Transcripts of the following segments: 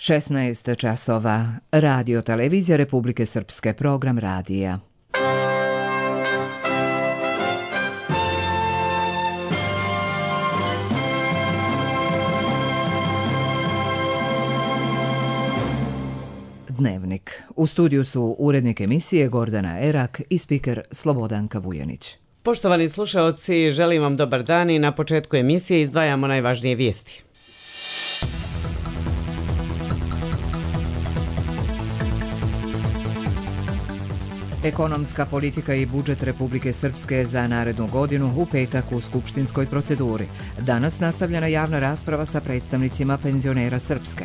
16 časova. Radio televizija Republike Srpske, program radija. Dnevnik. U studiju su urednik emisije Gordana Erak i spiker Slobodanka Vujanić. Poštovani slušaoci, želim vam dobar dan i na početku emisije izdvajamo najvažnije vijesti. Ekonomska politika i budžet Republike Srpske za narednu godinu u petak u skupštinskoj proceduri. Danas nastavljena javna rasprava sa predstavnicima penzionera Srpske.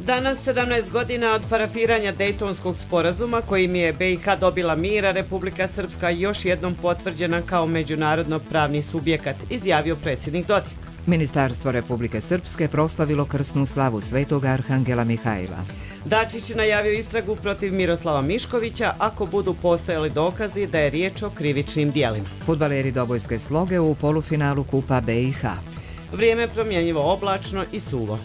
Danas, 17 godina od parafiranja Dejtonskog sporazuma kojim je BiH dobila mir, a Republika Srpska još jednom potvrđena kao međunarodno pravni subjekat, izjavio predsjednik Dodik. Ministarstvo Republike Srpske proslavilo krsnu slavu Svetog Arhangela Mihajla. Dačić najavio istragu protiv Miroslava Miškovića ako budu postojali dokazi da je riječ o krivičnim dijelima. Fudbaleri Dobojske Sloge u polufinalu Kupa BiH. Vrijeme promjenjivo oblačno i suvo.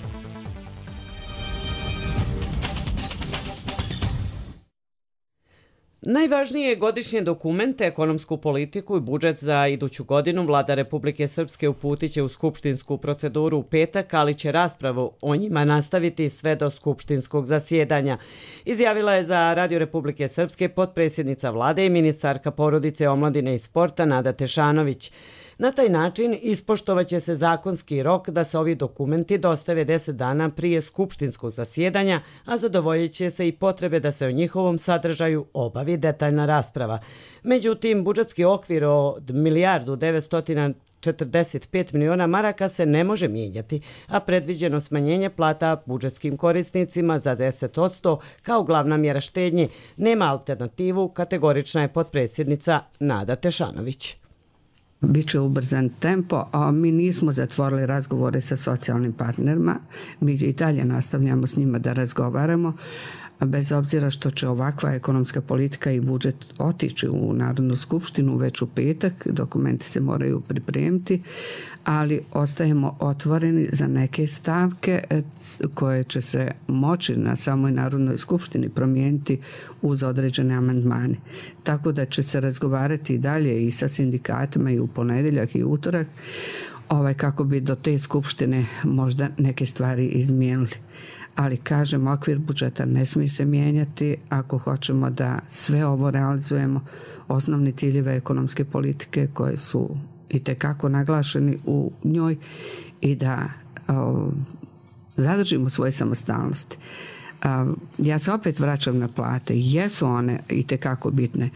Najvažnije godišnje dokumente, ekonomsku politiku i budžet za iduću godinu Vlada Republike Srpske uputit će u skupštinsku proceduru u petak, ali će raspravu o njima nastaviti sve do skupštinskog zasjedanja, izjavila je za Radio Republike Srpske potpredsjednica Vlade i ministarka porodice, omladine i sporta Nada Tešanović. Na taj način ispoštovaće se zakonski rok da se ovi dokumenti dostave 10 dana prije skupštinskog zasjedanja, a zadovoljit će se i potrebe da se o njihovom sadržaju obavi detaljna rasprava. Međutim, budžetski okvir od 1.945 miliona maraka se ne može mijenjati, a predviđeno smanjenje plata budžetskim korisnicima za 10% kao glavna mjera štednje nema alternativu, kategorična je potpredsjednica Nada Tešanović. Biće ubrzan tempo, a mi nismo zatvorili razgovore sa socijalnim partnerima. Mi i dalje nastavljamo s njima da razgovaramo, bez obzira što će ovakva ekonomska politika i budžet otići u Narodnu skupštinu već u petak, dokumenti se moraju pripremiti, ali ostajemo otvoreni za neke stavke koje će se moći na samoj Narodnoj skupštini promijeniti uz određene amandmane. Tako da će se razgovarati i dalje i sa sindikatima i u ponedjeljak i utorak, kako bi do te skupštine možda neke stvari izmijenili. Ali kažem, okvir budžeta ne smije se mijenjati ako hoćemo da sve ovo realizujemo, osnovni ciljeve ekonomske politike koje su itekako naglašeni u njoj i da zadržimo svoje samostalnosti. Ja se opet vraćam na plate. Jesu one itekako bitne,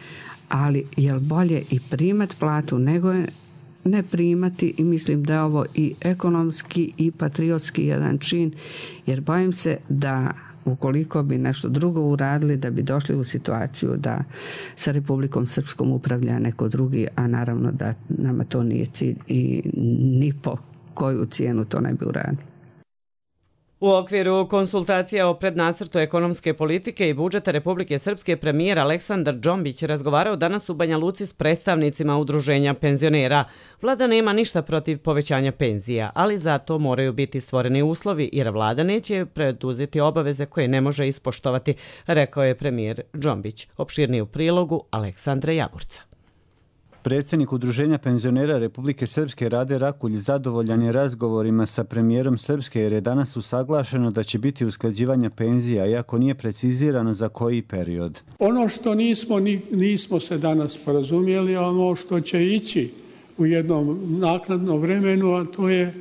ali je li bolje i primat platu nego je ne primati, i mislim da je ovo i ekonomski i patriotski jedan čin, jer bojim se da ukoliko bi nešto drugo uradili, da bi došli u situaciju da sa Republikom Srpskom upravlja neko drugi, a naravno da nama to nije cilj i ni po koju cijenu to ne bi uradili. U okviru konsultacija o prednacrtu ekonomske politike i budžeta Republike Srpske premijer Aleksandar Džombić razgovarao danas u Banja Luci s predstavnicima udruženja penzionera. Vlada nema ništa protiv povećanja penzija, ali zato moraju biti stvoreni uslovi jer vlada neće preduzeti obaveze koje ne može ispoštovati, rekao je premijer Džombić. Opširnije u prilogu Aleksandra Jagurca. Predsjednik Udruženja penzionera Republike Srpske Rade Rakulj zadovoljan je razgovorima sa premijerom Srpske jer je danas usaglašeno da će biti usklađivanje penzija, iako nije precizirano za koji period. Ono što nismo se danas porazumjeli, a ono što će ići u jednom naknadnom vremenu, a to je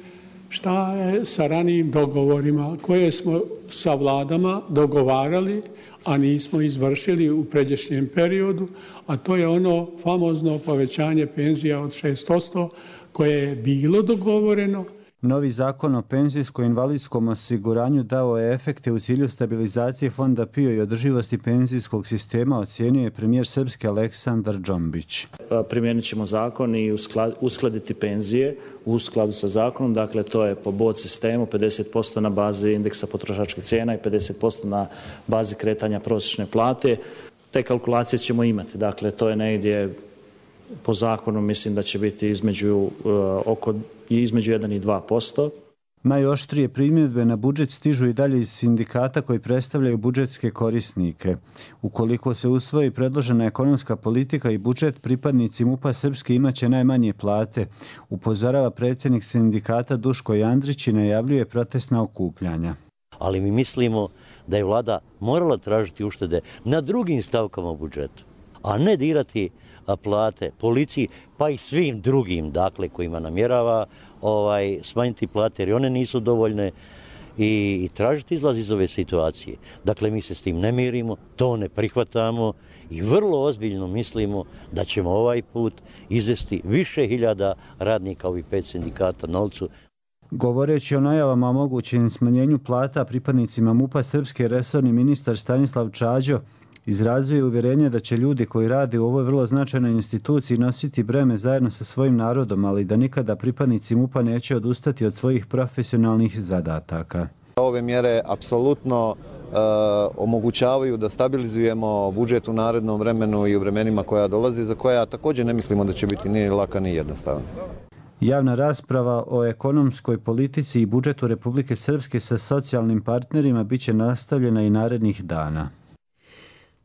šta je sa ranijim dogovorima koje smo sa vladama dogovarali, a nismo izvršili u pređašnjem periodu, a to je ono famozno povećanje penzija od 6% koje je bilo dogovoreno. Novi zakon o penzijsko-invalidskom osiguranju dao je efekte u cilju stabilizacije fonda PIO i održivosti penzijskog sistema, ocijenio je premijer Srpske Aleksandar Džombić. Primijenit ćemo zakon i uskladiti penzije u skladu sa zakonom, dakle to je po bod sistemu 50% na bazi indeksa potrošačkih cijena i 50% na bazi kretanja prosječne plate. Te kalkulacije ćemo imati, dakle to je negdje po zakonu mislim da će biti između 1 i 2%. Najoštrije primjedbe na budžet stižu i dalje iz sindikata koji predstavljaju budžetske korisnike. Ukoliko se usvoji predložena ekonomska politika i budžet, pripadnici MUP-a Srpske imaće najmanje plate, upozorava predsjednik sindikata Duško Jandrić i najavljuje protestna okupljanja. Ali mi mislimo da je vlada morala tražiti uštede na drugim stavkama u budžetu, a ne dirati plate policiji, pa i svim drugim, dakle, kojima namjerava smanjiti plate, jer one nisu dovoljne, i tražiti izlaz iz ove situacije. Dakle, mi se s tim ne mirimo, to ne prihvatamo i vrlo ozbiljno mislimo da ćemo ovaj put izvesti više hiljada radnika, ovih 5 sindikata na ulicu. Govoreći o najavama o mogućem smanjenju plata pripadnicima MUP-a Srpske, resorni ministar Stanislav Čađo izrazio je uvjerenje da će ljudi koji rade u ovoj vrlo značajnoj instituciji nositi breme zajedno sa svojim narodom, ali da nikada pripadnici MUP-a neće odustati od svojih profesionalnih zadataka. Ove mjere apsolutno omogućavaju da stabilizujemo budžet u narednom vremenu i u vremenima koja dolazi, za koja također ne mislimo da će biti ni laka ni jednostavna. Javna rasprava o ekonomskoj politici i budžetu Republike Srpske sa socijalnim partnerima biće nastavljena i narednih dana.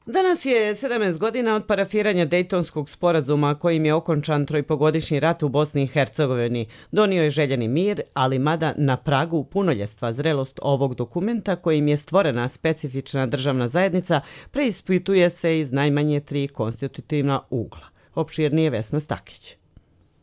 Danas je 17 godina od parafiranja Dejtonskog sporazuma kojim je okončan trojpogodišnji rat u Bosni i Hercegovini. Donio je željeni mir, ali mada na pragu punoljetstva zrelost ovog dokumenta kojim je stvorena specifična državna zajednica preispituje se iz najmanje 3 konstitutivna ugla. Opširnije Vesna Stakić.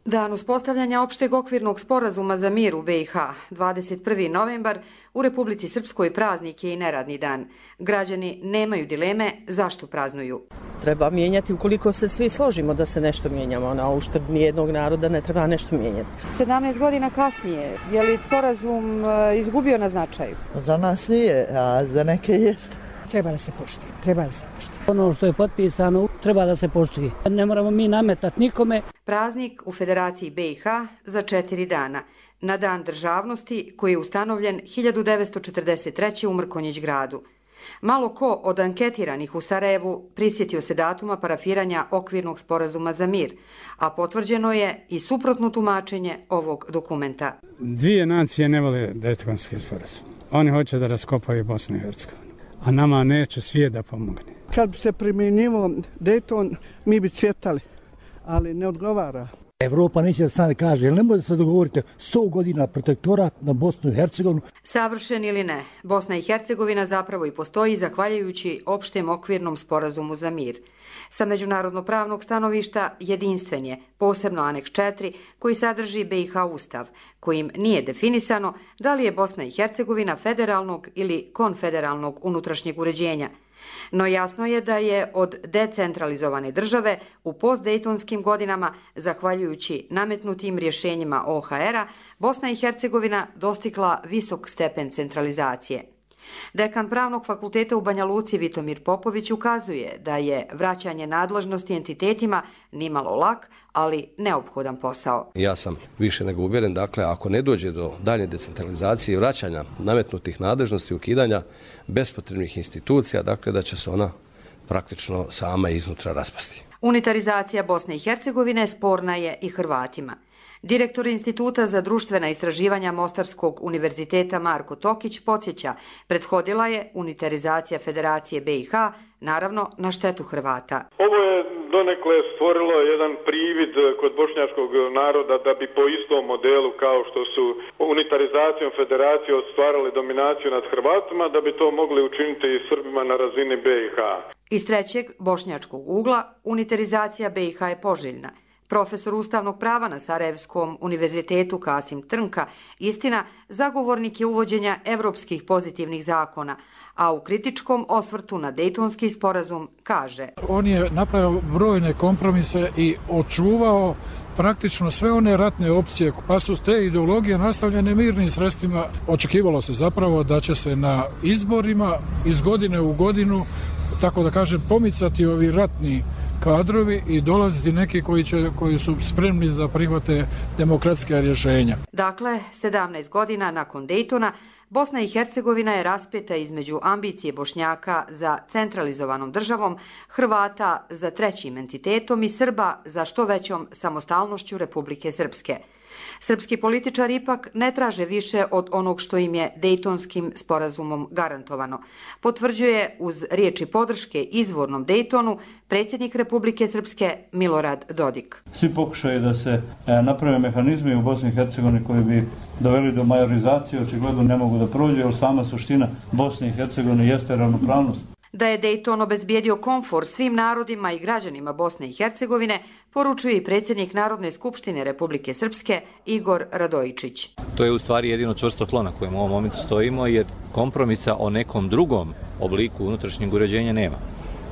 Dan uspostavljanja opšteg okvirnog sporazuma za mir u BiH, 21. novembar, u Republici Srpskoj praznik je i neradni dan. Građani nemaju dileme zašto praznuju. Treba mijenjati ukoliko se svi složimo da se nešto mijenjamo. Na uštrb nijednog naroda ne treba nešto mijenjati. 17 godina kasnije, je li sporazum izgubio na značaju? Za nas nije, a za neke jeste. Treba da se poštuje, Ono što je potpisano treba da se poštuje. Ne moramo mi nametati nikome. Praznik u Federaciji BiH za 4 dana. Na dan državnosti koji je ustanovljen 1943. u Mrkonjić gradu. Malo ko od anketiranih u Sarajevu prisjetio se datuma parafiranja okvirnog sporazuma za mir, a potvrđeno je i suprotno tumačenje ovog dokumenta. Dvije nacije ne vole Dejtonski sporazum. Oni hoće da raskopaju Bosnu i Hercegovinu, a nama neće svijet da pomogne. Kad bi se primjenjivo Dejton, mi bi cvjetali, ali ne odgovara. Evropa neće da stane kaže, ne može se dogovoriti 100 godina protektorat na Bosnu i Hercegovinu. Savršen ili ne, Bosna i Hercegovina zapravo i postoji zahvaljujući opštem okvirnom sporazumu za mir. Sa međunarodno-pravnog stanovišta jedinstven je, posebno aneks 4, koji sadrži BiH ustav, kojim nije definisano da li je Bosna i Hercegovina federalnog ili konfederalnog unutrašnjeg uređenja. No jasno je da je od decentralizovane države u postdejtonskim godinama, zahvaljujući nametnutim rješenjima OHR-a, Bosna i Hercegovina dostigla visok stepen centralizacije. Dekan Pravnog fakulteta u Banja Luci Vitomir Popović ukazuje da je vraćanje nadležnosti entitetima nimalo lak, ali neophodan posao. Ja sam više nego uvjeren, dakle, ako ne dođe do daljnje decentralizacije i vraćanja nametnutih nadležnosti, ukidanja bespotrebnih institucija, dakle, da će se ona praktično sama iznutra raspasti. Unitarizacija Bosne i Hercegovine sporna je i Hrvatima. Direktor Instituta za društvena istraživanja Mostarskog univerziteta Marko Tokić podsjeća, prethodila je unitarizacija Federacije BiH, naravno na štetu Hrvata. Ovo je donekle stvorilo jedan privid kod bošnjačkog naroda da bi po istom modelu kao što su unitarizacijom federacije ostvarali dominaciju nad Hrvatima, da bi to mogli učiniti i Srbima na razini BiH. Iz trećeg bošnjačkog ugla unitarizacija BiH je poželjna. Profesor ustavnog prava na Sarajevskom univerzitetu Kasim Trnka, istina, zagovornik je uvođenja evropskih pozitivnih zakona, a u kritičkom osvrtu na Dejtonski sporazum kaže: On je napravio brojne kompromise i očuvao praktično sve one ratne opcije, pa su te ideologije nastavljene mirnim sredstvima. Očekivalo se zapravo da će se na izborima iz godine u godinu, tako da kažem, pomicati ovi ratni kadrovi i dolaziti neki koji su spremni da prihvate demokratska rješenja. Dakle, 17 godina nakon Dejtona, Bosna i Hercegovina je raspeta između ambicije Bošnjaka za centralizovanom državom, Hrvata za trećim entitetom i Srba za što većom samostalnošću Republike Srpske. Srpski političari ipak ne traže više od onog što im je Dejtonskim sporazumom garantovano. Potvrđuje uz riječi podrške izvornom Dejtonu predsjednik Republike Srpske Milorad Dodik. Svi pokušaju da se naprave mehanizmi u Bosni i Hercegovini koji bi doveli do majorizacije očigledno ne mogu da prođe, jer sama suština Bosne i Hercegovine jeste ravnopravnost. Da je Dejton obezbijedio komfor svim narodima i građanima Bosne i Hercegovine, poručuje i predsjednik Narodne skupštine Republike Srpske Igor Radojičić. To je u stvari jedino čvrsto tlo na kojem u ovom momentu stojimo, jer kompromisa o nekom drugom obliku unutrašnjeg uređenja nema.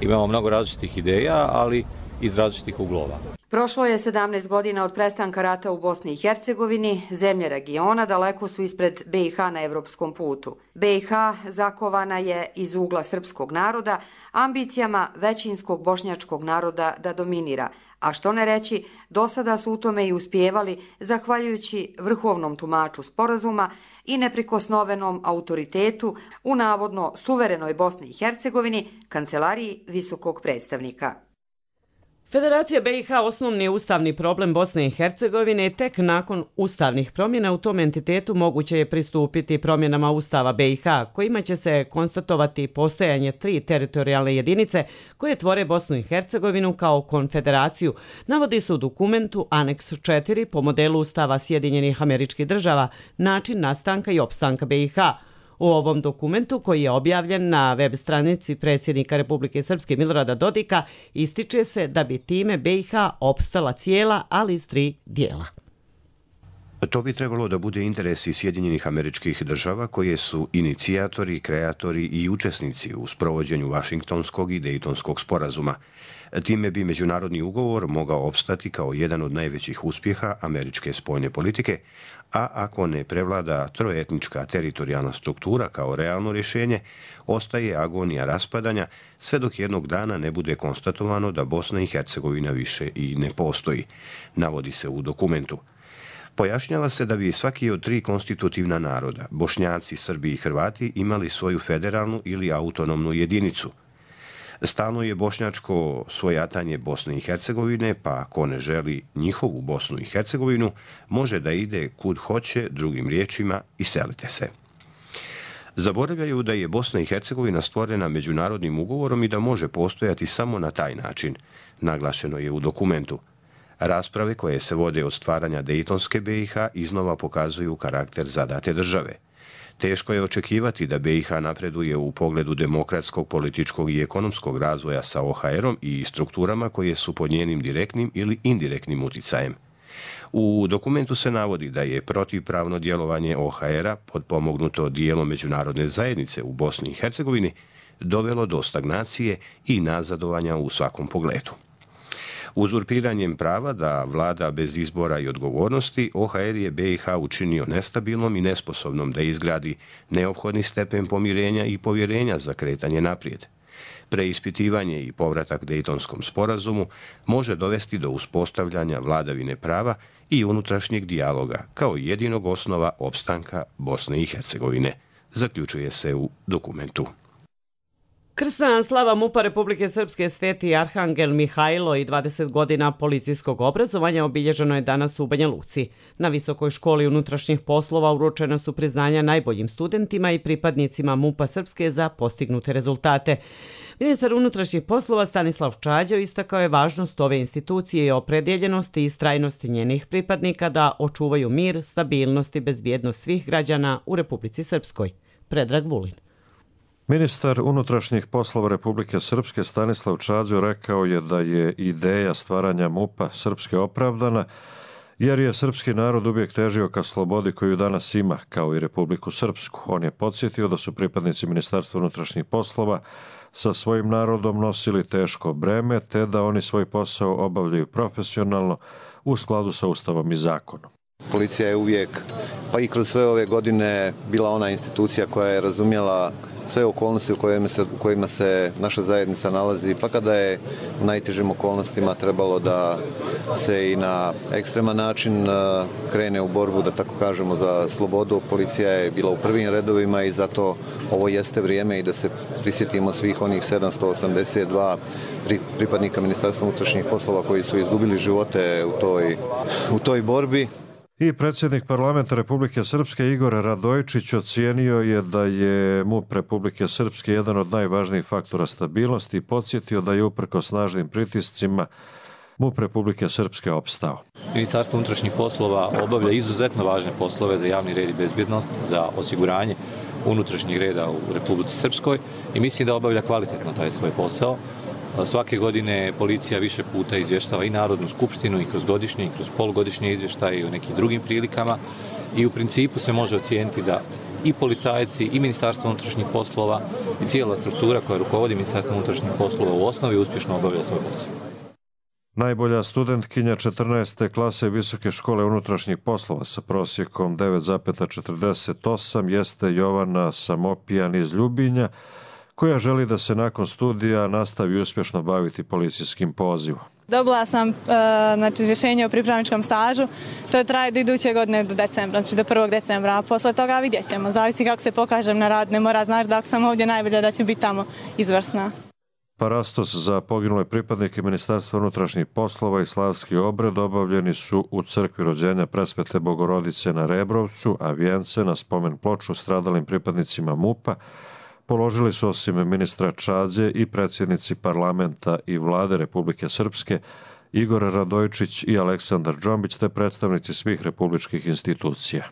Imamo mnogo različitih ideja, ali iz različitih uglova. Prošlo je 17 godina od prestanka rata u Bosni i Hercegovini, zemlje regiona daleko su ispred BiH na evropskom putu. BiH zakovana je iz ugla srpskog naroda, ambicijama većinskog bošnjačkog naroda da dominira, a što ne reći, do sada su u tome i uspijevali zahvaljujući vrhovnom tumaču sporazuma i neprikosnovenom autoritetu u navodno suverenoj Bosni i Hercegovini, kancelariji visokog predstavnika. Federacija BiH osnovni je ustavni problem Bosne i Hercegovine i tek nakon ustavnih promjena u tom entitetu moguće je pristupiti promjenama Ustava BiH, kojima će se konstatovati postojanje 3 teritorijalne jedinice koje tvore Bosnu i Hercegovinu kao konfederaciju, navodi se u dokumentu Aneks 4 po modelu Ustava Sjedinjenih Američkih Država, način nastanka i opstanka BiH. U ovom dokumentu, koji je objavljen na web stranici predsjednika Republike Srpske Milorada Dodika, ističe se da bi time BiH opstala cijela, ali iz 3 dijela. To bi trebalo da bude interes i Sjedinjenih Američkih Država, koje su inicijatori, kreatori i učesnici u sprovođenju Vašingtonskog i Dejtonskog sporazuma. Time bi međunarodni ugovor mogao opstati kao jedan od najvećih uspjeha američke spoljne politike, a ako ne prevlada trojetnička teritorijalna struktura kao realno rješenje, ostaje agonija raspadanja sve dok jednog dana ne bude konstatovano da Bosna i Hercegovina više i ne postoji, navodi se u dokumentu. Pojašnjava se da bi svaki od 3 konstitutivna naroda, Bošnjaci, Srbi i Hrvati, imali svoju federalnu ili autonomnu jedinicu. Stalno je bošnjačko svojatanje Bosne i Hercegovine, pa ako ne želi njihovu Bosnu i Hercegovinu, može da ide kud hoće, drugim riječima, iselite se. Zaboravljaju da je Bosna i Hercegovina stvorena međunarodnim ugovorom i da može postojati samo na taj način, naglašeno je u dokumentu. Rasprave koje se vode od stvaranja Dejtonske BiH iznova pokazuju karakter zadate države. Teško je očekivati da BiH napreduje u pogledu demokratskog, političkog i ekonomskog razvoja sa OHR-om i strukturama koje su pod njenim direktnim ili indirektnim uticajem. U dokumentu se navodi da je protivpravno djelovanje OHR-a, potpomognuto dijelom međunarodne zajednice u Bosni i Hercegovini, dovelo do stagnacije i nazadovanja u svakom pogledu. Uzurpiranjem prava da vlada bez izbora i odgovornosti, OHR je BiH učinio nestabilnom i nesposobnom da izgradi neophodni stepen pomirenja i povjerenja za kretanje naprijed. Preispitivanje i povratak Dejtonskom sporazumu može dovesti do uspostavljanja vladavine prava i unutrašnjeg dijaloga kao jedinog osnova opstanka Bosne i Hercegovine, zaključuje se u dokumentu. Krsna slava MUP-a Republike Srpske Sveti Arhangel Mihajlo i 20 godina policijskog obrazovanja obilježeno je danas u Banja Luci. Na Visokoj školi unutrašnjih poslova uručena su priznanja najboljim studentima i pripadnicima MUP-a Srpske za postignute rezultate. Ministar unutrašnjih poslova Stanislav Čađo istakao je važnost ove institucije i opredjeljenosti i istrajnosti njenih pripadnika da očuvaju mir, stabilnost i bezbjednost svih građana u Republici Srpskoj. Predrag Vulin. Ministar unutrašnjih poslova Republike Srpske Stanislav Čađo rekao je da je ideja stvaranja MUP-a Srpske opravdana, jer je srpski narod uvijek težio ka slobodi koju danas ima, kao i Republiku Srpsku. On je podsjetio da su pripadnici Ministarstva unutrašnjih poslova sa svojim narodom nosili teško breme, te da oni svoj posao obavljaju profesionalno u skladu sa Ustavom i zakonom. Policija je uvijek, pa i kroz sve ove godine, bila ona institucija koja je razumjela sve okolnosti u kojima se naša zajednica nalazi, pa kada je u najtežim okolnostima trebalo da se i na ekstreman način krene u borbu, da tako kažemo, za slobodu. Policija je bila u prvim redovima i zato ovo jeste vrijeme i da se prisjetimo svih onih 782 pripadnika Ministarstva unutrašnjih poslova koji su izgubili živote u toj borbi. I predsjednik parlamenta Republike Srpske Igor Radojičić ocijenio je da je MUP Republike Srpske jedan od najvažnijih faktora stabilnosti i podsjetio da je uprkos snažnim pritiscima MUP Republike Srpske opstao. Ministarstvo unutrašnjih poslova obavlja izuzetno važne poslove za javni red i bezbjednost, za osiguranje unutrašnjeg reda u Republici Srpskoj i mislim da obavlja kvalitetno taj svoj posao. Svake godine policija više puta izvještava i Narodnu skupštinu i kroz godišnje i kroz polugodišnje izvještaje i u nekim drugim prilikama i u principu se može ocijeniti da i policajci i Ministarstvo unutrašnjih poslova i cijela struktura koja rukovodi Ministarstvom unutrašnjih poslova u osnovi uspješno obavlja svoj posao. Najbolja studentkinja 14. klase Visoke škole unutrašnjih poslova sa prosjekom 9,48 jeste Jovana Samopijan iz Ljubinja, koja želi da se nakon studija nastavi uspješno baviti policijskim pozivom. Dobila sam rješenje o pripravničkom stažu, to traje do iduće godine do decembra, znači do 1. decembra, a posle toga vidjet ćemo, zavisi kako se pokažem na rad, ne mora znaš da ako sam ovdje najbolja da ću biti tamo izvrsna. Parastos za poginule pripadnike Ministarstva unutrašnjih poslova i slavski obred obavljeni su u crkvi rođenja Presvete Bogorodice na Rebrovcu, a vijence na spomen ploču stradalim pripadnicima MUP-a položili su osim ministra Čađe i predsjednici parlamenta i vlade Republike Srpske Igor Radojičić i Aleksandar Džombić te predstavnici svih republičkih institucija.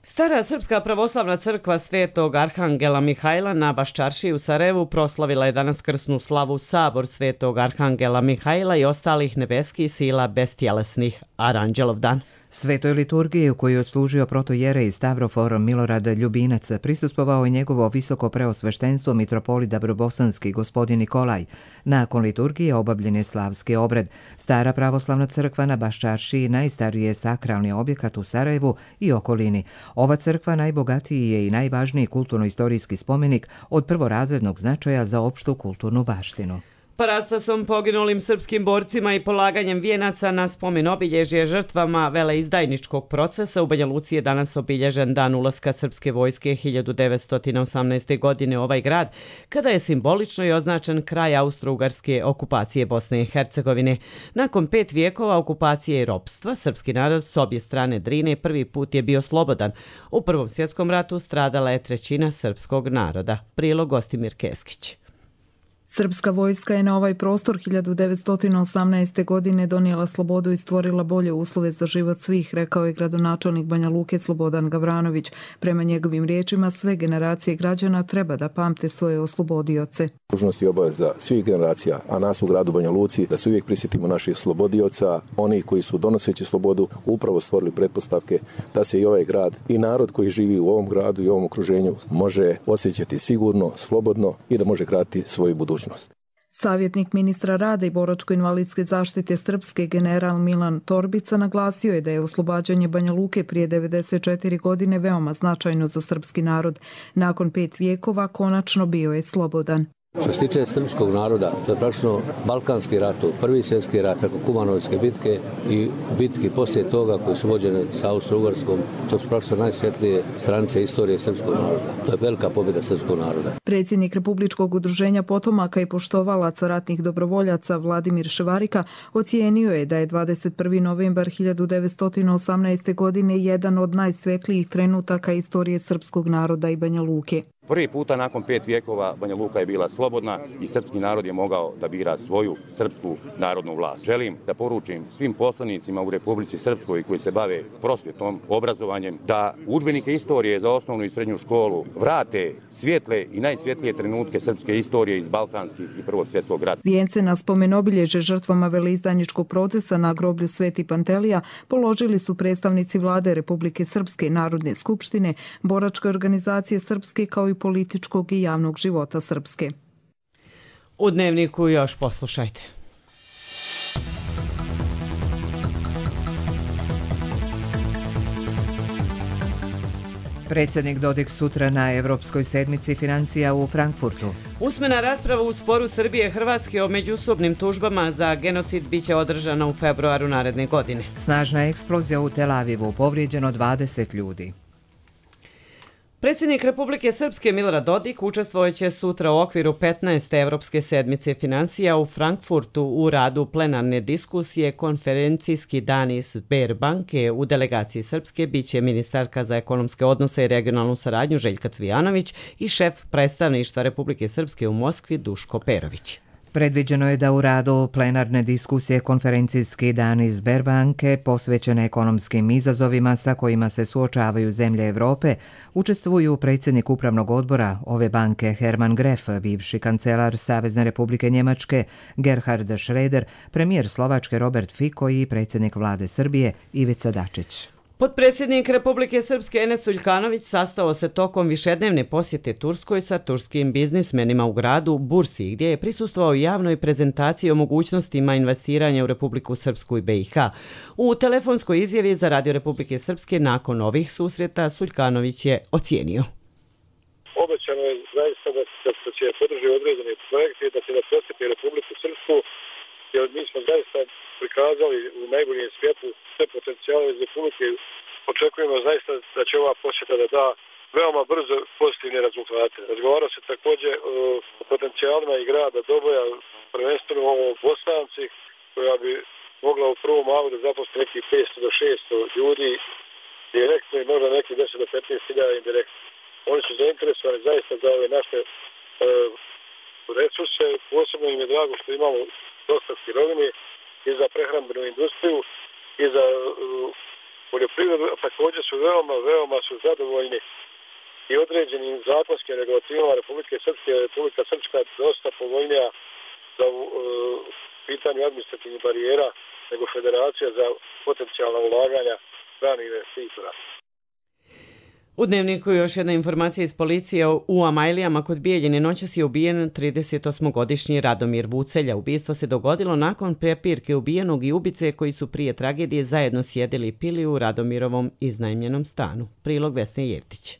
Stara Srpska pravoslavna crkva Svetog Arhangela Mihajla na Baščaršiji u Sarajevu proslavila je danas krsnu slavu Sabor Svetog Arhangela Mihajla i ostalih nebeskih sila bestjelesnih, Aranđelov dan. Svetoj liturgiji u kojoj je odslužio protojerej Stavrofor Milorad Ljubinac prisustvovao je njegovo visoko preosveštenstvo mitropolit Dabrobosanski gospodin Nikolaj. Nakon liturgije obavljen je slavski obred. Stara pravoslavna crkva na Baščaršiji najstariji je sakralni objekat u Sarajevu i okolini. Ova crkva najbogatiji je i najvažniji kulturno-istorijski spomenik od prvorazrednog značaja za opštu kulturnu baštinu. Parastasom poginulim srpskim borcima i polaganjem vijenaca na spomen obilježje žrtvama veleizdajničkog procesa u Banja Luci je danas obilježen dan ulaska srpske vojske 1918. godine u ovaj grad, kada je simbolično i označen kraj austro-ugarske okupacije Bosne i Hercegovine. Nakon 5 vijekova okupacije i ropstva, srpski narod s obje strane Drine prvi put je bio slobodan. U Prvom svjetskom ratu stradala je 1/3 srpskog naroda. Prilog Gostimir Keskić. Srpska vojska je na ovaj prostor 1918. godine donijela slobodu i stvorila bolje uslove za život svih, rekao je gradonačelnik Banja Luke Slobodan Gavranović. Prema njegovim riječima, sve generacije građana treba da pamte svoje oslobodioce. Dužnost i obaveza svih generacija, a nas u gradu Banja Luci, da se uvijek prisjetimo naših slobodioca, oni koji su donoseći slobodu upravo stvorili pretpostavke da se i ovaj grad i narod koji živi u ovom gradu i ovom okruženju može osjećati sigurno, slobodno i da može graditi svoju budućnost. Savjetnik ministra rada i boračko-invalidske zaštite Srpske general Milan Torbica naglasio je da je oslobađanje Banja Luke prije 94 godine veoma značajno za srpski narod. Nakon 5 vijekova konačno bio je slobodan. Što se tiče srpskog naroda, to je praktično Balkanski rat, Prvi svjetski rat, preko Kumanovske bitke i bitke poslije toga koje su vođene sa Austro-Ugarskom, to su praktično najsvjetlije stranice istorije srpskog naroda. To je velika pobjeda srpskog naroda. Predsjednik Republičkog udruženja potomaka i poštovalaca ratnih dobrovoljaca Vladimir Ševarika ocijenio je da je 21. novembar 1918. godine jedan od najsvjetlijih trenutaka istorije srpskog naroda i Banja Luke. Prvi puta nakon 5 vijekova Banja Luka je bila slobodna i srpski narod je mogao da bira svoju srpsku narodnu vlast. Želim da poručim svim poslanicima u Republici Srpskoj koji se bave prosvjetom, obrazovanjem, da udžbenike istorije za osnovnu i srednju školu vrate svjetle i najsvjetlije trenutke srpske istorije iz Balkanskih i Prvog svjetskog rata. Vijence na spomen obilježe žrtvama veleizdajničkog procesa na groblju Sveti Pantelija položili su predstavnici vlade Republike Srpske, Narodne skupštine, boračke organizacije Srpske kao i političkog i javnog života Srpske. U Dnevniku još poslušajte. Predsjednik Dodik sutra na Evropskoj sedmici financija u Frankfurtu. Usmena rasprava u sporu Srbije i Hrvatske o međusobnim tužbama za genocid biće održana u februaru naredne godine. Snažna eksplozija u Tel Avivu, povrijeđeno 20 ljudi. Predsjednik Republike Srpske Milorad Dodik učestvojeće sutra u okviru 15. Evropske sedmice financija u Frankfurtu u radu plenarne diskusije konferencijski dani Sberbanke. U delegaciji Srpske biće ministarka za ekonomske odnose i regionalnu saradnju Željka Cvijanović i šef predstavništva Republike Srpske u Moskvi Duško Perović. Predviđeno je da u radu plenarne diskusije konferencijski dani Sberbanke posvećene ekonomskim izazovima sa kojima se suočavaju zemlje Evrope učestvuju predsjednik upravnog odbora ove banke Herman Gref, bivši kancelar Savezne republike Njemačke Gerhard Schröder, premijer Slovačke Robert Fico i predsjednik vlade Srbije Ivica Dačić. Potpredsjednik Republike Srpske Enes Uljkanović sastao se tokom višednevne posjete Turskoj sa turskim biznismenima u gradu Bursi, gdje je prisustvovao javnoj prezentaciji o mogućnostima investiranja u Republiku Srpsku i BiH. U telefonskoj izjavi za Radio Republike Srpske nakon ovih susreta Uljkanović je ocijenio. Obećano je zaista da će podržati određene projekte i da će da posjeti Republiku Srpsku, jer mi smo zaista prikazali u najboljem svijetu sve potencijale iz Republike. Očekujemo zaista da će ova posjeta da da veoma brzo pozitivne rezultate. Razgovarao se također o potencijalima i grada Doboja, prvenstveno o Bosanci, koja bi mogla u prvom malu da zaposli nekih 500 do 600 ljudi direktno i možda nekih 10 do 15 hiljada indirektno. Oni su zainteresovani zaista za ove naše resurse. Posebno im je drago što imamo dosta sirovine i za prehrambenu industriju i za poljoprivredu, a također su veoma su zadovoljni i određenim zakonskim regulativama Republike Srpske. Republika Srpska dosta povoljnija za pitanje administrativnih barijera nego Federacija za potencijalna ulaganja stranih investitora. U Dnevniku još jedna informacija iz policije. U Amajlijama kod Bijeljine noćas je ubijen 38-godišnji Radomir Vucelja. Ubistvo se dogodilo nakon prepirke ubijenog i ubice koji su prije tragedije zajedno sjedili i pili u Radomirovom iznajmljenom stanu. Prilog Vesne Jevtić.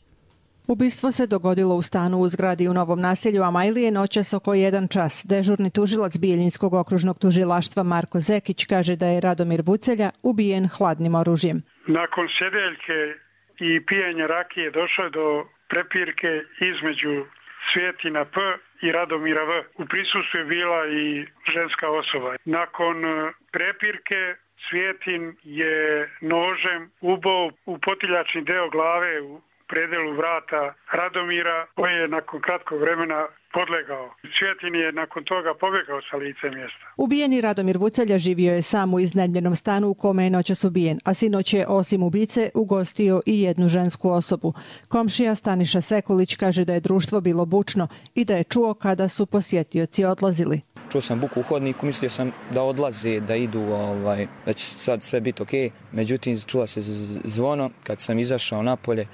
Ubistvo se dogodilo u stanu u zgradi u Novom naselju Amajlije noćas oko 1 čas. Dežurni tužilac Bijeljinskog okružnog tužilaštva Marko Zekić kaže da je Radomir Vucelja ubijen hladnim oružjem. Nakon sjedeljke i pijenja rakije došlo je do prepirke između Cvjetina P i Radomira V. U prisustvu je bila i ženska osoba. Nakon prepirke Cvjetin je nožem ubao u potiljačni deo glave u predelu vrata Radomira, koji je nakon kratkog vremena podlegao. Cvjetin je nakon toga pobjegao sa lice mjesta. Ubijeni Radomir Vucelja živio je sam u iznajmljenom stanu u kome je noćas ubijen, a sinoć je osim ubice ugostio i jednu žensku osobu. Komšija Staniša Sekulić kaže da je društvo bilo bučno i da je čuo kada su posjetioci odlazili. Čuo sam buku u hodniku, mislio sam da odlaze, da idu, da će sad sve biti okej. Međutim, čula se zvono. Kad sam izašao napolje,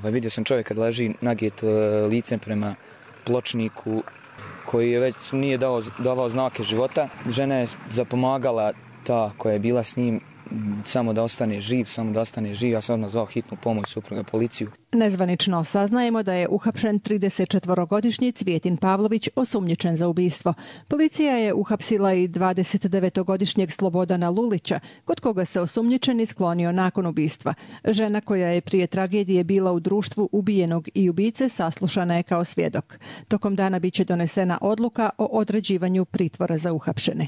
vidio sam čovjeka da leži naget licem prema pločniku koji je već nije davao znake života. Žena je zapomagala, ta koja je bila s njim, samo da ostane živ. Ja sam odmah zvao hitnu pomoć, supruga, policiju. Nezvanično saznajemo da je uhapšen 34-godišnji Cvjetin Pavlović osumnjičen za ubistvo. Policija je uhapsila i 29-godišnjeg Slobodana Lulića, kod koga se osumnjičeni sklonio nakon ubistva. Žena koja je prije tragedije bila u društvu ubijenog i ubice saslušana je kao svjedok. Tokom dana biće donesena odluka o određivanju pritvora za uhapšene.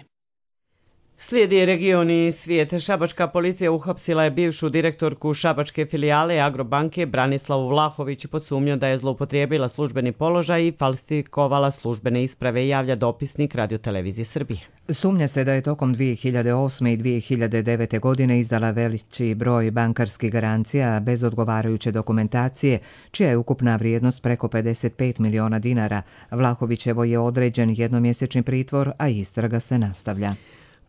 Slijedi regioni svijet. Šabačka policija uhapsila je bivšu direktorku šabačke filijale Agrobanke Branislavu Vlahović pod sumnjom da je zloupotrijebila službeni položaj i falsifikovala službene isprave, javlja dopisnik Radio-televizije Srbije. Sumnja se da je tokom 2008. i 2009. godine izdala veliki broj bankarskih garancija bez odgovarajuće dokumentacije, čija je ukupna vrijednost preko 55 miliona dinara. Vlahovićevo je određen jednomjesečni pritvor, a istraga se nastavlja.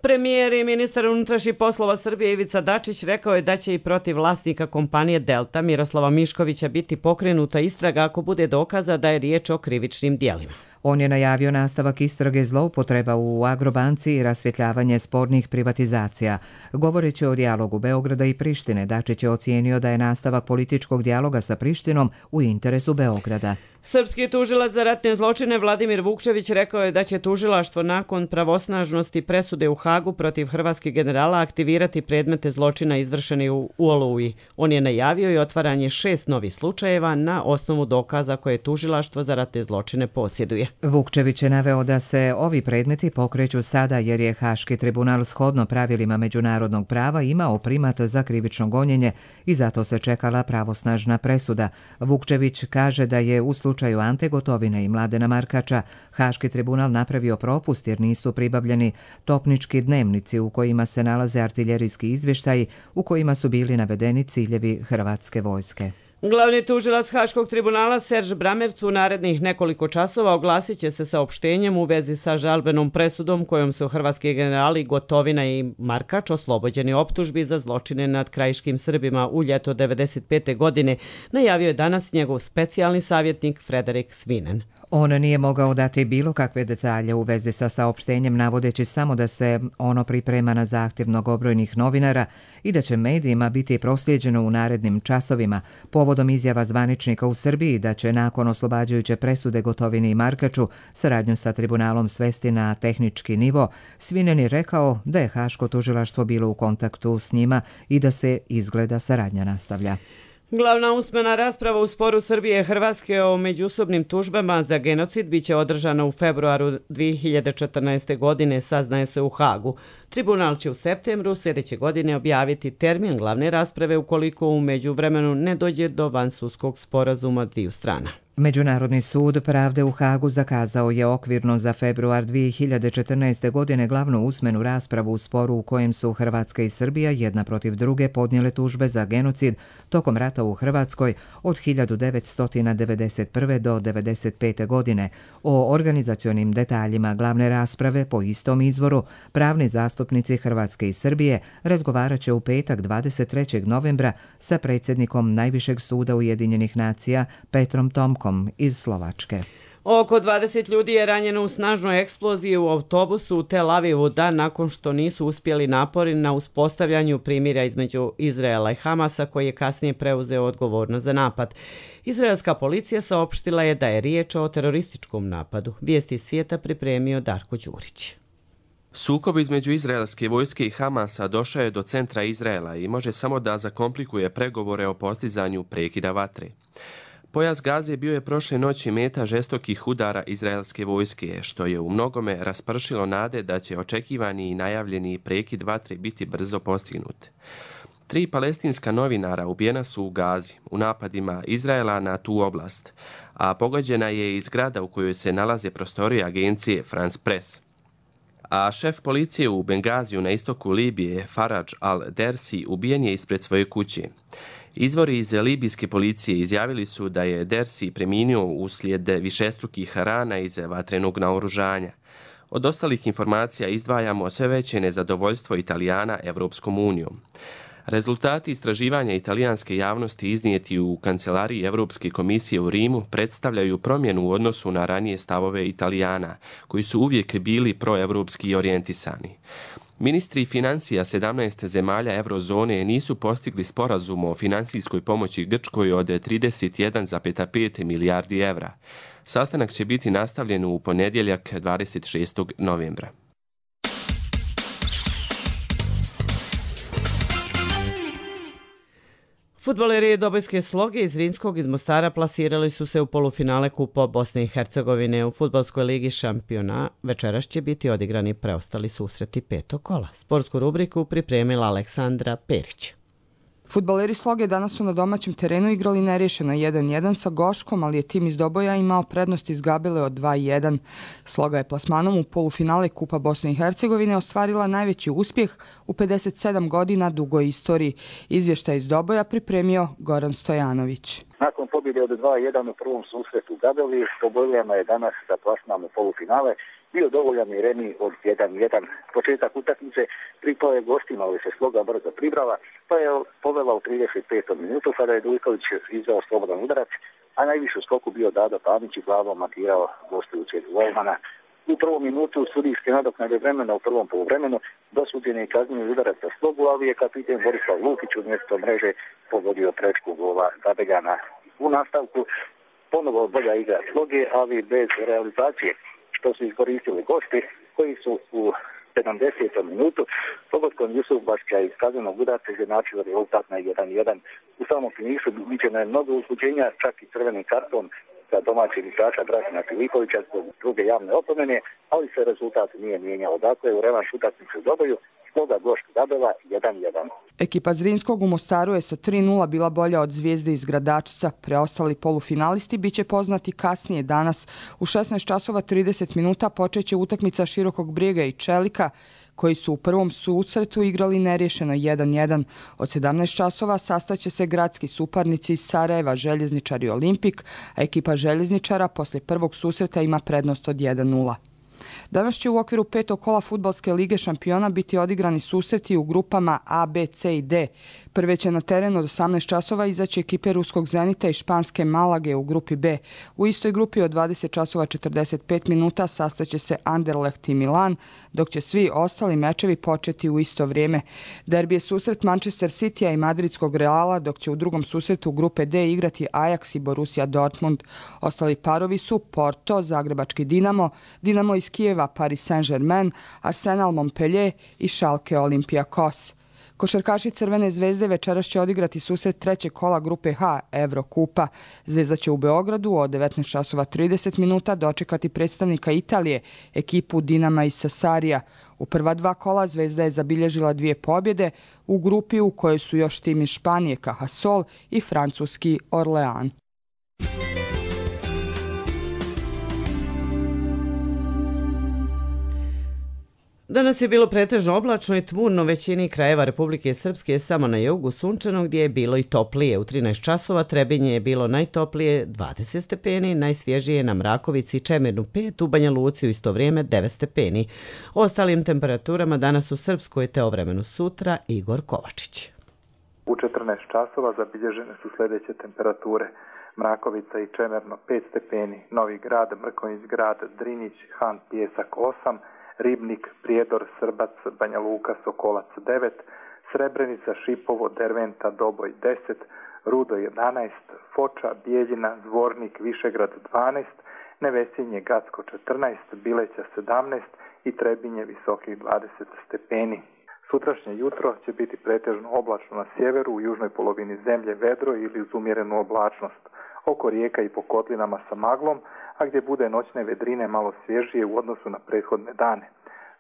Premijer i ministar unutrašnjih poslova Srbije Ivica Dačić rekao je da će i protiv vlasnika kompanije Delta Miroslava Miškovića biti pokrenuta istraga ako bude dokaza da je riječ o krivičnim dijelima. On je najavio nastavak istrage zloupotreba u Agrobanci i rasvjetljavanje spornih privatizacija. Govoreći o dijalogu Beograda i Prištine, Dačić je ocijenio da je nastavak političkog dijaloga sa Prištinom u interesu Beograda. Srpski tužilac za ratne zločine Vladimir Vukčević rekao je da će tužilaštvo nakon pravosnažnosti presude u Hagu protiv hrvatskih generala aktivirati predmete zločina izvršeni u Oluji. On je najavio i otvaranje 6 novih slučajeva na osnovu dokaza koje tužilaštvo za ratne zločine posjeduje. Vukčević je naveo da se ovi predmeti pokreću sada jer je Haški tribunal shodno pravilima međunarodnog prava imao primat za krivično gonjenje i zato se čekala pravosnažna presuda. Vukčević kaže da je u slučaju Ante Gotovine i Mladena Markača Haški tribunal napravio propust jer nisu pribavljeni topnički dnevnici u kojima se nalaze artiljerijski izvještaji u kojima su bili navedeni ciljevi hrvatske vojske. Glavni tužilac Haškog tribunala Serž Bramevc u narednih nekoliko časova oglasit će se saopštenjem u vezi sa žalbenom presudom kojom su hrvatski generali Gotovina i Markač oslobođeni optužbi za zločine nad krajiškim Srbima u ljeto 1995. godine, najavio je danas njegov specijalni savjetnik Frederik Svinen. On nije mogao dati bilo kakve detalje u vezi sa saopštenjem, navodeći samo da se ono priprema na zahtjev mnogobrojnih novinara i da će medijima biti proslijeđeno u narednim časovima, povodom izjava zvaničnika u Srbiji da će nakon oslobađajuće presude Gotovini i Markaču saradnju sa tribunalom svesti na tehnički nivo. Svinen je rekao da je Haško tužilaštvo bilo u kontaktu s njima i da se izgleda saradnja nastavlja. Glavna usmena rasprava u sporu Srbije i Hrvatske o međusobnim tužbama za genocid biće održana u februaru 2014. godine, saznaje se u Hagu. Tribunal će u septembru sljedeće godine objaviti termin glavne rasprave ukoliko u međuvremenu ne dođe do vansudskog sporazuma dviju strana. Međunarodni sud pravde u Hagu zakazao je okvirno za februar 2014. godine glavnu usmenu raspravu u sporu u kojem su Hrvatska i Srbija jedna protiv druge podnijele tužbe za genocid tokom rata u Hrvatskoj od 1991. do 1995. godine. O organizacionim detaljima glavne rasprave po istom izvoru pravni zastupnici Hrvatske i Srbije razgovarat će u petak 23. novembra sa predsjednikom Najvišeg suda Ujedinjenih nacija Petrom Tomkom iz Slovačke. Oko 20 ljudi je ranjeno u snažnoj eksploziji u autobusu u Tel Avivu dan nakon što nisu uspjeli napori na uspostavljanju primirja između Izraela i Hamasa koji je kasnije preuzeo odgovornost za napad. Izraelska policija saopštila je da je riječ o terorističkom napadu. Vijesti iz svijeta pripremio Darko Đurić. Sukob između izraelske vojske i Hamasa došao je do centra Izraela i može samo da zakomplikuje pregovore o postizanju prekida vatre. Pojas Gaze bio je prošle noći meta žestokih udara izraelske vojske, što je u mnogome raspršilo nade da će očekivani i najavljeni prekid vatre biti brzo postignut. 3 palestinska novinara ubijena su u Gazi u napadima Izraela na tu oblast, a pogođena je i zgrada u kojoj se nalaze prostorije agencije France Press. A šef policije u Bengaziju na istoku Libije, Faraj al-Dersi, ubijen je ispred svoje kuće. Izvori iz libijske policije izjavili su da je Dersi preminuo uslijed višestrukih rana iz vatrenog naoružanja. Od ostalih informacija izdvajamo sve veće nezadovoljstvo Italijana Evropskom unijom. Rezultati istraživanja italijanske javnosti iznijeti u kancelariji Evropske komisije u Rimu predstavljaju promjenu u odnosu na ranije stavove Italijana, koji su uvijek bili proevropski orijentisani. Ministri financija 17 zemalja eurozone nisu postigli sporazum o finansijskoj pomoći Grčkoj od 31,5 milijardi evra. Sastanak će biti nastavljen u ponedjeljak 26. novembra. Fudbaleri Dobojske Sloge iz Rinskog iz Mostara plasirali su se u polufinale Kupa Bosne i Hercegovine u fudbalskoj ligi šampiona. Večeras će biti odigrani preostali susreti 5. kola. Sportsku rubriku pripremila Aleksandra Perić. Fudbaleri Sloge danas su na domaćem terenu igrali nerješeno 1-1 sa Goškom, ali je tim iz Doboja imao prednost iz Gabele od 2-1. Sloga je plasmanom u polufinale Kupa Bosne i Hercegovine ostvarila najveći uspjeh u 57 godina dugoj istoriji. Izvještaj iz Doboja pripremio Goran Stojanović. Nakon pobjede od 2-1 u prvom susretu u Gabeli, Dobojljama je danas za plasman u polufinale bio dovoljan i remi od 1-1. Početak utakmice pripao je gostima, ali se Sloga brzo pribrala, pa je povela u 35. minutu kada je Dujković izdao slobodan udarac, a najviše u skoku bio Dado Panić i glavom matirao gostujućeg golmana. U prvom minutu sudijske nadoknade vremena u prvom poluvremenu dosuđen je kazneni udarac za slogu, ali je kapiten Borislav Lukić umjesto mreže pogodio prečku gola Zabeljana. U nastavku ponovo bolja igra sloge, ali bez realizacije, što su iskoristili gosti koji su u 70. minutu pogodkom Jusuf Bašća iz kaznenog udarca izjednačili rezultat na 1-1. U samom finišu viđeno je mnogo uzbuđenja, čak i crvenim karton za domaćeg igrača Dražena Filipovića zbog druge javne opomene, ali se rezultat nije mijenjao. Dakle, u revanš utakmicu doboju Sloga Gošt Gabela 1-1. Ekipa Zrinskog u Mostaru je sa 3-0 bila bolja od Zvijezde iz Gradačca. Preostali polufinalisti biće poznati kasnije danas. U 16:30 minuta počeće utakmica Širokog Brijega i Čelika, koji su u prvom susretu igrali nerješeno 1-1. Od 17 časova sastaće se gradski suparnici iz Sarajeva, Željezničar i Olimpik, a ekipa Željezničara posle prvog susreta ima prednost od 1-0. Danas će u okviru 5. kola Fudbalske lige šampiona biti odigrani susreti u grupama A, B, C i D. Prve će na terenu od 18 časova izaći ekipe Ruskog Zenita i Španske Malage u grupi B. U istoj grupi od 20:45 minuta sastaće se Anderlecht i Milan, dok će svi ostali mečevi početi u isto vrijeme. Derbi je susret Manchester Citya i Madridskog Reala, dok će u drugom susretu grupe D igrati Ajax i Borussia Dortmund. Ostali parovi su Porto, Zagrebački Dinamo, Dinamo iz Kijeva, Paris Saint-Germain, Arsenal Montpellier i Schalke Olympiakos. Košarkaši Crvene zvezde večeras će odigrati susret trećeg kola grupe H Evrokupa. Zvezda će u Beogradu od 19:30 minuta dočekati predstavnika Italije, ekipu Dinama iz Sasarija. U prva dva kola Zvezda je zabilježila 2 pobjede u grupi u kojoj su još tim iz Španije Cajasol i francuski Orlean. Danas je bilo pretežno oblačno i tmurno većini krajeva Republike Srpske, samo na jugu sunčano gdje je bilo i toplije. U 13 časova Trebinje je bilo najtoplije 20 stepeni, najsvježije na Mrakovici i Čemernu 5, u Banja Luci u isto vrijeme 9 stepeni. O ostalim temperaturama danas u Srpskoj te o vremenu sutra Igor Kovačić. U 14 časova zabilježene su sljedeće temperature. Mrakovica i Čemerno 5 stepeni, Novi Grad, Mrkonjić Grad, Drinjić, Han Pjesak 8, Ribnik, Prijedor, Srbac, Banja Luka, Sokolac 9, Srebrenica, Šipovo, Derventa, Doboj 10, Rudo 11, Foča, Bijeljina, Zvornik, Višegrad 12, Nevesinje, Gacko 14, Bileća 17 i Trebinje visokih 20 stepeni. Sutrašnje jutro će biti pretežno oblačno na sjeveru, u južnoj polovini zemlje vedro ili uz umjerenu oblačnost. Oko rijeka i po kotlinama sa maglom, a gdje bude noćne vedrine malo svježije u odnosu na prethodne dane.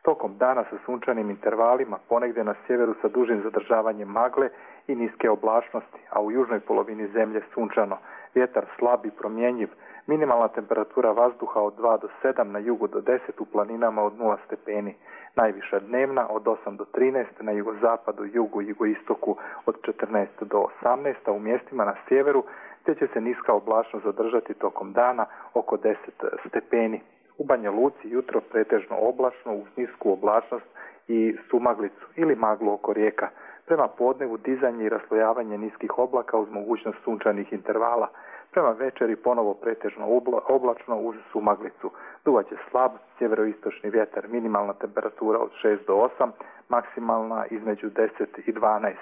Tokom dana sa sunčanim intervalima, ponegdje na sjeveru sa dužim zadržavanjem magle i niske oblačnosti, a u južnoj polovini zemlje sunčano. Vjetar slab i promjenjiv, minimalna temperatura vazduha od 2 do 7, na jugu do 10, u planinama od 0 stepeni. Najviša dnevna od 8 do 13, na jugozapadu, jugu i jugoistoku od 14 do 18, a u mjestima na sjeveru te će se niska oblačnost zadržati tokom dana oko 10 stepeni. U Banja Luci jutro pretežno oblačno uz nisku oblačnost i sumaglicu ili maglu oko rijeka. Prema podnevu dizanje i raslojavanje niskih oblaka uz mogućnost sunčanih intervala. Prema večeri ponovo pretežno oblačno uz sumaglicu. Duvaće slab sjeveroistočni vjetar, minimalna temperatura od 6 do 8, maksimalna između 10 i 12.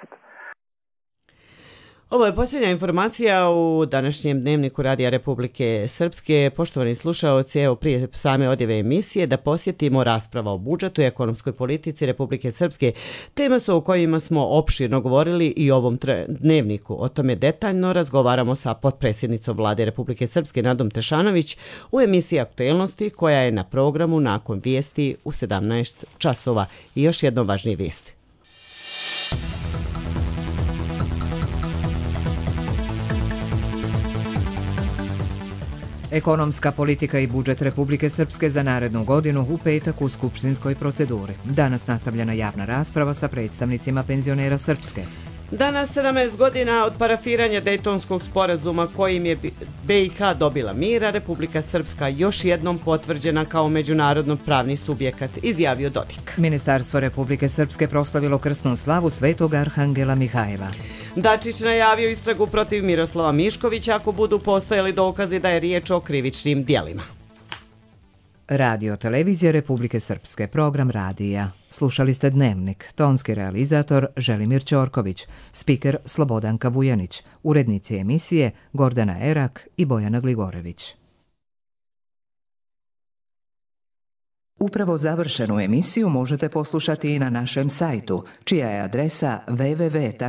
Ovo je posljednja informacija u današnjem dnevniku Radija Republike Srpske. Poštovani slušaoci, evo prije same odjave emisije da posjetimo rasprava o budžetu i ekonomskoj politici Republike Srpske. Tema su o kojima smo opširno govorili i u ovom dnevniku. O tome detaljno razgovaramo sa potpredsjednicom Vlade Republike Srpske Nadom Tešanović u emisiji Aktuelnosti koja je na programu nakon vijesti u 17 časova. I još jedno važnije vijesti. Ekonomska politika i budžet Republike Srpske za narednu godinu u petak u skupštinskoj proceduri. Danas nastavljena javna rasprava sa predstavnicima penzionera Srpske. Danas, 17 godina od parafiranja Dejtonskog sporazuma kojim je BiH dobila mira, Republika Srpska još jednom potvrđena kao međunarodno pravni subjekat, izjavio Dodik. Ministarstvo Republike Srpske proslavilo krsnu slavu Svetog Arhangela Mihajla. Dačić najavio istragu protiv Miroslava Miškovića ako budu postojali dokazi da je riječ o krivičnim djelima. Radio Televizija Republike Srpske, program radija. Slušali ste Dnevnik, tonski realizator Želimir Ćorković, spiker Slobodanka Vujanić, urednici emisije Gordana Erak i Bojana Gligorević. Upravo završenu emisiju možete poslušati i na našem sajtu, čija je adresa www.rtrs.tv.